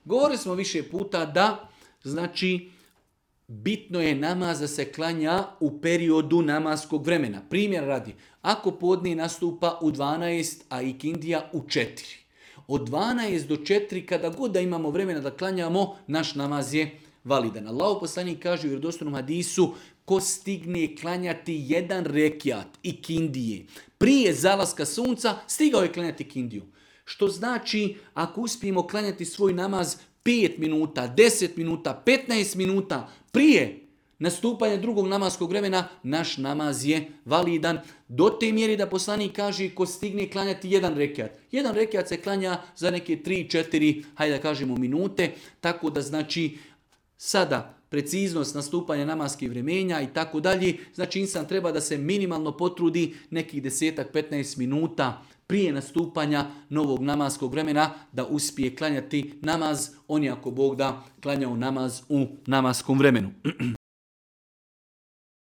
Govorili smo više puta da, znači, bitno je namaz da se klanja u periodu namaskog vremena. Primjer radi, ako podne nastupa u 12, a ikindija u 4. Od 12 do 4, kada god da imamo vremena da klanjamo, naš namaz je validan. Allahov poslanik kaže u vjerodostojnom hadisu, ko stigne klanjati jedan rekiat ikindije prije zalaska sunca, stigao je klanjati ikindiju. Što znači, ako uspijemo klanjati svoj namaz 5 minuta, 10 minuta, 15 minuta prije nastupanja drugog namaskog vremena, naš namaz je validan. Do te mjeri da poslanik kaže ko stigne klanjati jedan rekiat. Jedan rekiat se klanja za neke 3-4, hajde da kažemo minute, tako da znači sada preciznost nastupanja namaskih vremenja i tako dalje, znači insan treba da se minimalno potrudi nekih 10-15 minuta prije nastupanja novog namaskog vremena da uspije klanjati namaz, on je ako Bog da klanjao namaz u namaskom vremenu.